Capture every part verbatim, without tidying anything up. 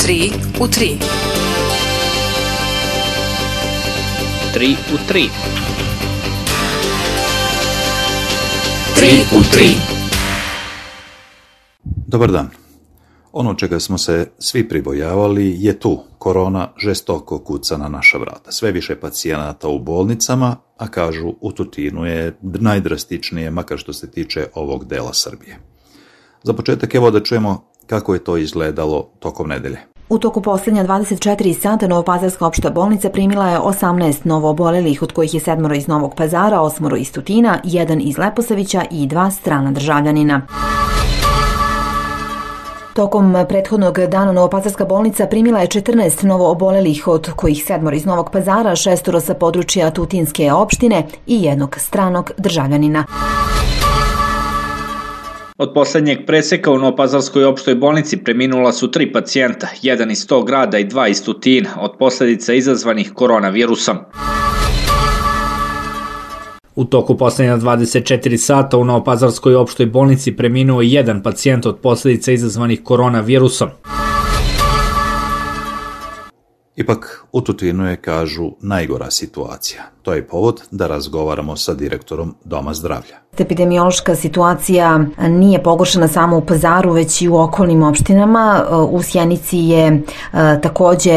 tri u tri. tri u tri. tri u tri. Dobar dan. Ono čega smo se svi pribojavali je tu. Korona žestoko kuca na naša vrata. Sve više pacijenata u bolnicama, a kažu u Tutinu je najdrastičnije, makar što se tiče ovog dela Srbije. Za početak evo da čujemo kako je to izgledalo tokom nedelje. U toku posljednja dvadeset četiri sata Novopazarska opšta bolnica primila je osamnaest novoobolelih, od kojih je sedmoro iz Novog Pazara, osmoro iz Tutina, jedan iz Leposavića i dva strana državljanina. Tokom prethodnog dana Novopazarska bolnica primila je četrnaest novoobolelih, od kojih sedmoro iz Novog Pazara, šestoro sa područja Tutinske opštine i jednog stranog državljanina. Od poslednjeg preseka u Novopazarskoj opštoj bolnici preminula su tri pacijenta, jedan iz tog grada i dva iz Tutina, od posljedica izazvanih koronavirusom. U toku poslednja dvadeset četiri sata u Novopazarskoj opštoj bolnici preminuo je jedan pacijent od posljedica izazvanih koronavirusom. Ipak u Tutinu je, kažu, najgora situacija. To je povod da razgovaramo sa direktorom Doma zdravlja. Epidemiološka situacija nije pogoršana samo u Pazaru, već i u okolnim opštinama. U Sjenici je takođe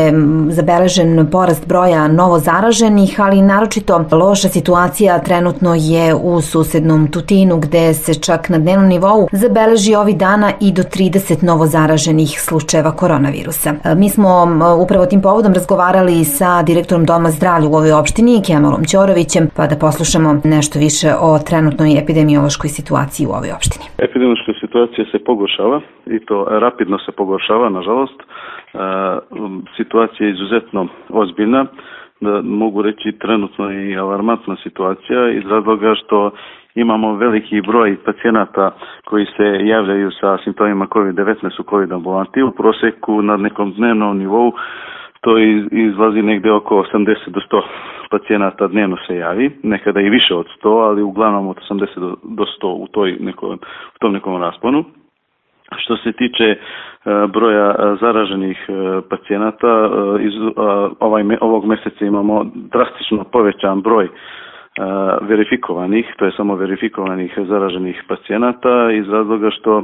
zabeležen porast broja novo zaraženih, ali naročito loša situacija trenutno je u susednom Tutinu, gde se čak na dnevnom nivou zabeleži ovih dana i do trideset novo zaraženih slučajeva koronavirusa. Mi smo upravo tim povodom razgovarali sa direktorom Doma zdravlja u ovoj opštini, Kemalom Ćorovićem, pa da poslušamo nešto više o trenutnoj epidemiološkoj situaciji u ovoj opštini. Epidemiološka situacija se pogoršava i to rapidno se pogoršava, nažalost. E, situacija je izuzetno ozbiljna, da mogu reći trenutno i alarmantna situacija iz razloga što imamo veliki broj pacijenata koji se javljaju sa simptomima kovid devetnaest u COVID ambulanti. U proseku na nekom dnevnom nivou to izlazi negde oko osamdeset do sto pacijenata dnevno se javi, nekada i više od sto, ali uglavnom od osamdeset do sto u, toj nekom, u tom nekom rasponu. Što se tiče uh, broja zaraženih uh, pacijenata, uh, iz, uh, ovaj, ovog meseca imamo drastično povećan broj uh, verifikovanih, to je samo verifikovanih zaraženih pacijenata iz razloga što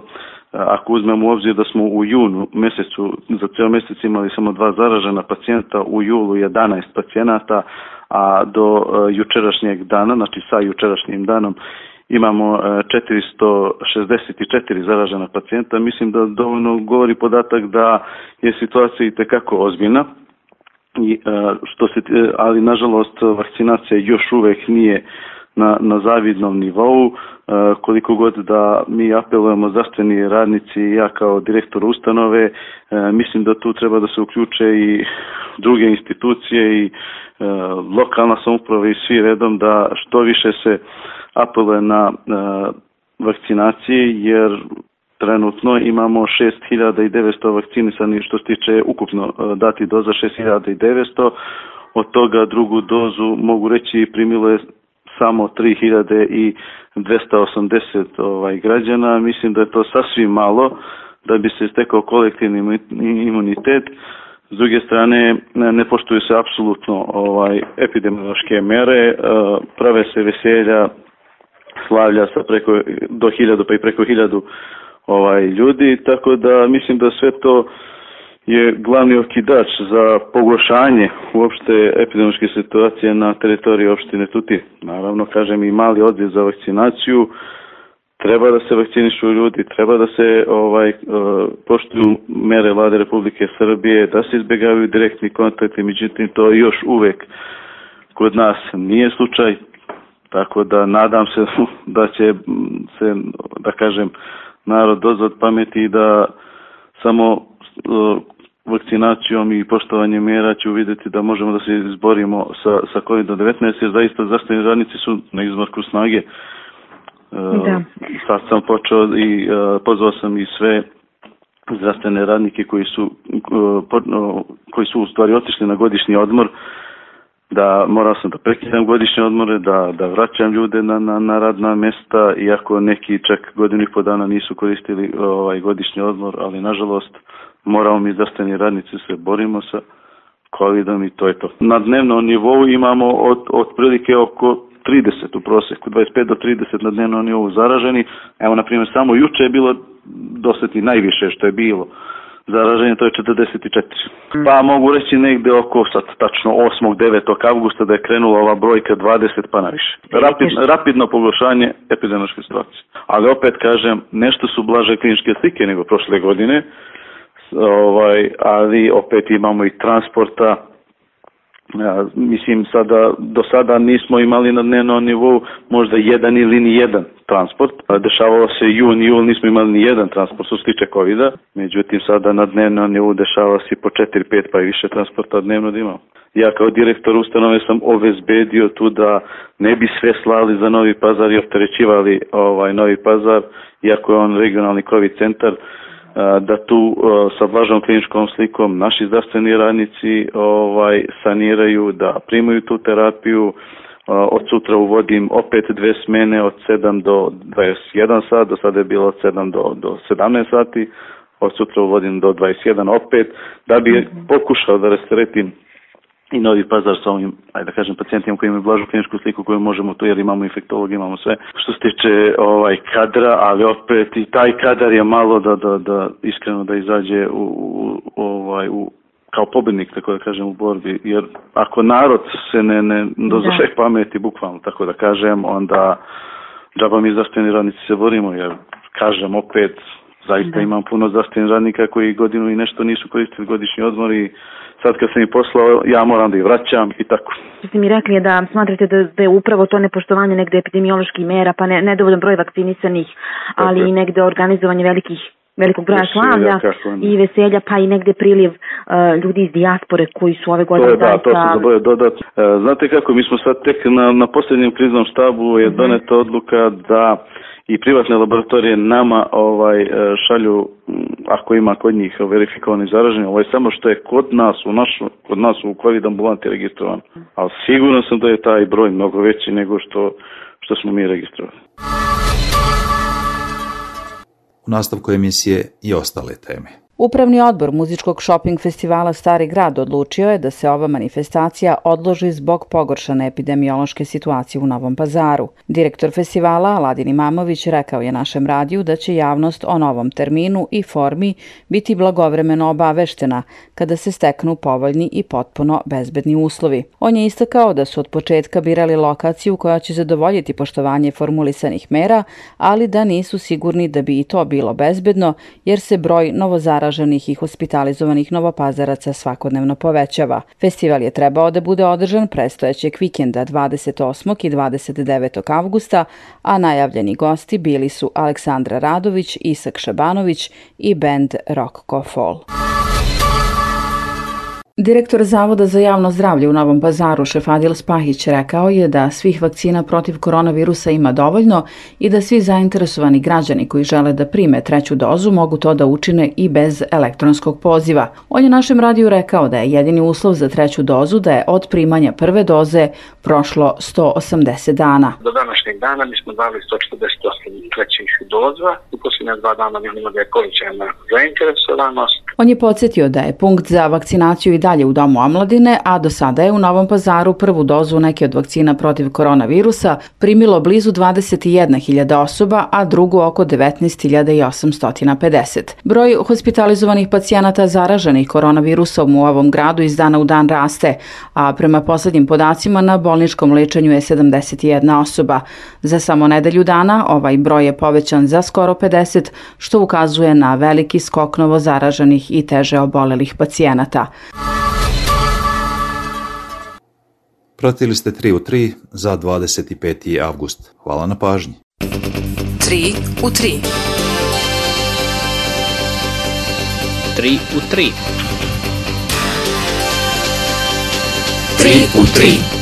ako uzmemo u obzir da smo u junu mesecu, za cijel mjesec imali samo dva zaražena pacijenta, u julu jedanaest pacijenata, a do uh, jučerašnjeg dana, znači sa jučerašnjim danom, imamo uh, četiristo šezdeset četiri zaražena pacijenta. Mislim da dovoljno govori podatak da je situacija itekako ozbiljna, I, uh, što se, ali nažalost vakcinacija još uvijek nije na, na zavidnom nivou. Uh, koliko god da mi apelujemo zdravstveni radnici i ja kao direktor ustanove, uh, mislim da tu treba da se uključe i druge institucije i uh, lokalna samouprava i svi redom da što više se apeluje na uh, vakcinacije, jer trenutno imamo šest hiljada devetsto vakcinisanih što se tiče ukupno uh, dati doza šest hiljada devetsto, od toga drugu dozu mogu reći primilo je samo tri hiljade dvesta osamdeset ovaj, građana. Mislim da je to sasvim malo da bi se stekao kolektivni imunitet. S druge strane, ne poštuju se apsolutno ovaj, epidemiološke mere, prave se veselja, slavlja sa preko do hiljadu pa i preko hiljadu ovaj, ljudi, tako da mislim da sve to je glavni okidač za pogoršanje uopšte epidemiološke situacije na teritoriji opštine Tutin. Naravno, kažem, i mali odziv za vakcinaciju, treba da se vakcinišu ljudi, treba da se ovaj poštuju mere Vlade Republike Srbije, da se izbjegavaju direktni kontakti, međutim to još uvek kod nas nije slučaj, tako da nadam se da će se, da kažem, narod dozvat pameti i da samo vakcinacijom i poštovanjem mjera ću vidjeti da možemo da se izborimo sa, sa kovid devetnaest, jer zaista zdravstveni radnici su na izmarku snage. Da. Sad sam počeo i uh, pozvao sam i sve zdravstvene radnike koji su, uh, po, uh, koji su u stvari otišli na godišnji odmor, da morao sam da prekidam godišnje odmore, da, da vraćam ljude na, na, na radna mjesta, iako neki čak godinu i po dana nisu koristili ovaj godišnji odmor, ali nažalost moramo mi zdravstveni radnici se borimo sa covidom i to je to. Na dnevnom nivou imamo od, od prilike oko trideset u proseku, dvadeset pet do trideset na dnevnom nivou zaraženi. Evo, na primjer, samo juče je bilo doseti najviše što je bilo zaraženje, to je četrdeset četiri. Pa mogu reći negde oko sad tačno osmog devetog avgusta da je krenula ova brojka dvadeset pa na više. Rapid, rapidno pogoršanje epidemiološke situacije. Ali opet kažem, nešto su blaže kliničke slike nego prošle godine, ovaj, ali opet imamo i transporta. Ja, mislim, sada, do sada nismo imali na dnevnom nivou možda jedan ili ni jedan transport. Dešavalo se jun, jul, nismo imali ni jedan transport što se tiče covida. Međutim, sada na dnevnom nivou dešava se po četiri pet pa i više transporta dnevno da imamo. Ja kao direktor ustanove sam obezbedio tu da ne bi sve slali za Novi Pazar i opterećivali ovaj Novi Pazar, iako je on regionalni COVID centar, da tu sa blažom kliničkom slikom naši zdravstveni radnici ovaj saniraju, da primaju tu terapiju. Od sutra uvodim opet dve smene od sedam do dvadeset jedan sat, do sada je bilo od sedam do, do sedamnaest sati, od sutra uvodim do dvadeset jedan opet, da bi pokušao da rasteretim i Novi Pazar sa ovim, ajde da kažem, pacijentima koji imaju blažu kliničku sliku koju možemo tu, jer imamo infektolog, imamo sve. Što se tiče ovaj kadra, ali opet i taj kadar je malo da, da, da iskreno da izađe u, u, ovaj, u, kao pobednik, tako da kažem, u borbi. Jer ako narod se ne, ne dozove pameti, bukvalno, tako da kažem, onda džaba mi zdravstveni radnici se borimo, jer kažem opet, zaista imam puno zdravstvenih radnika koji godinu i nešto nisu koristili godišnji odmor i sad kad sam ih poslao, ja moram da ih vraćam i tako. Što ste mi rekli je da smatrate da, da je upravo to nepoštovanje negde epidemioloških mera, pa ne, nedovoljan broj vakcinisanih, ali okay. i negde organizovanje velikih, velikog broja slavlja i veselja, pa i negde priliv uh, ljudi iz dijaspore koji su ove godine... To je, da, to sam zaboravio dodati. Uh, znate kako, mi smo sad tek na, na posljednjem kriznom štabu je doneta odluka da i privatne laboratorije nama ovaj šalju, ako ima kod njih verifikovani zaraženi, ovo je samo što je kod nas u našu, kod nas u COVID ambulanti registrovan. Ali sigurno sam da je taj broj mnogo veći nego što, što smo mi registrovali. U nastavku emisije i ostale teme. Upravni odbor muzičkog šoping festivala Stari grad odlučio je da se ova manifestacija odloži zbog pogoršane epidemiološke situacije u Novom Pazaru. Direktor festivala Aladin Imamović rekao je našem radiju da će javnost o novom terminu i formi biti blagovremeno obaveštena kada se steknu povoljni i potpuno bezbedni uslovi. On je istakao da su od početka birali lokaciju koja će zadovoljiti poštovanje formulisanih mera, ali da nisu sigurni da bi i to bilo bezbedno jer se broj novozaraženih i hospitalizovanih novopazaraca svakodnevno povećava. Festival je trebao da bude održan prestojećeg vikenda dvadeset osmog i dvadeset devetog avgusta, a najavljeni gosti bili su Aleksandra Radović, Isak Šabanović i bend Rock Fall. Direktor Zavoda za javno zdravlje u Novom Pazaru Šefadil Spahić rekao je da svih vakcina protiv koronavirusa ima dovoljno i da svi zainteresovani građani koji žele da prime treću dozu mogu to da učine i bez elektronskog poziva. On je našem radiju rekao da je jedini uslov za treću dozu da je od primanja prve doze prošlo sto osamdeset dana. Do današnjeg dana mi smo dali sto četrdeset osam trećih doza. U posljednja dva dana vidimo da je povećana zainteresovanost. On je podsjetio da je punkt za vakcinaciju i dalje u Domu omladine, a do sada je u Novom Pazaru prvu dozu neke od vakcina protiv koronavirusa primilo blizu dvadeset jedna hiljada osoba, a drugu oko devetnaest hiljada osamsto pedeset. Broj hospitalizovanih pacijenata zaraženih koronavirusom u ovom gradu iz dana u dan raste, a prema poslednjim podacima na bolničkom lečenju je sedamdeset jedna osoba. Za samo nedelju dana ovaj broj je povećan za skoro pedeset, što ukazuje na veliki skok novozaraženih i teže obolelih pacijenata. Pratili ste tri u tri za dvadeset peti avgust. Hvala na pažnji. tri u tri. tri u tri. tri u tri.